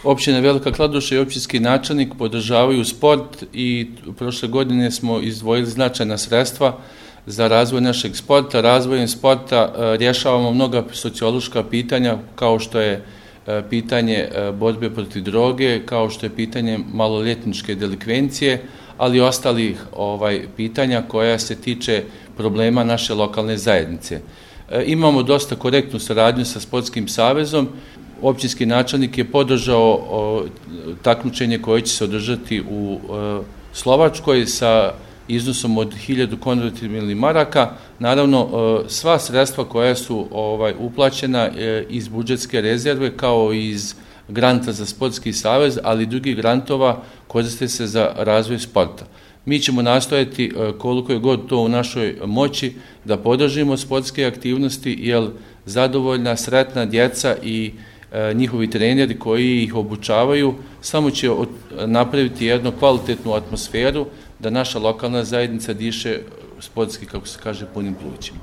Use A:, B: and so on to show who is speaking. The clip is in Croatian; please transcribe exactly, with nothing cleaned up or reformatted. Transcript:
A: Općina Velika Kladuša i općinski načelnik podržavaju sport i prošle godine smo izdvojili značajna sredstva za razvoj našeg sporta. Razvojem sporta rješavamo mnoga sociološka pitanja kao što je pitanje borbe protiv droge, kao što je pitanje maloljetničke delikvencije, ali i ostalih ovaj, pitanja koja se tiče problema naše lokalne zajednice. Imamo dosta korektnu saradnju sa Sportskim savezom. Općinski načelnik je podržao o, takmičenje koje će se održati u o, Slovačkoj sa iznosom od hiljadu konvertibilnih maraka. Naravno, o, sva sredstva koja su ovaj, uplaćena e, iz budžetske rezerve kao i iz granta za Sportski savez, ali i drugih grantova koriste se za razvoj sporta. Mi ćemo nastojati koliko je god to u našoj moći da podržimo sportske aktivnosti, jer zadovoljna, sretna djeca i e, njihovi treneri koji ih obučavaju samo će od, napraviti jednu kvalitetnu atmosferu da naša lokalna zajednica diše sportski, kako se kaže, punim plućima.